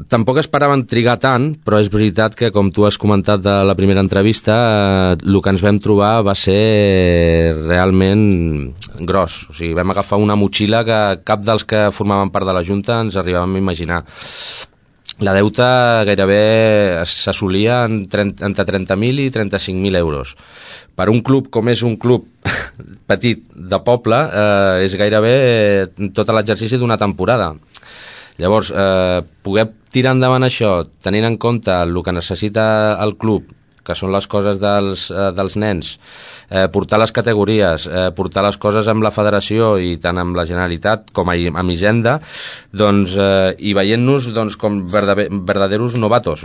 tampoc esperaven trigar tant, però és veritat que, com tu has comentat de la primera entrevista, el que ens vam trobar va ser realment gros. O sigui, vam agafar una motxilla que cap dels que formaven part de la Junta ens arribàvem a imaginar. La deuta gairebé s'assolia entre 30.000 i 35.000 euros. Per un club com és un club petit de poble, és gairebé tot l'exercici d'una temporada. Llavors, poder tirar endavant això, tenint en compte el que necessita el club, que són les coses dels nens, portar les categories, portar les coses amb la federació i tant amb la Generalitat com amb Hisenda, doncs, i veient-nos com verdaderos novatos.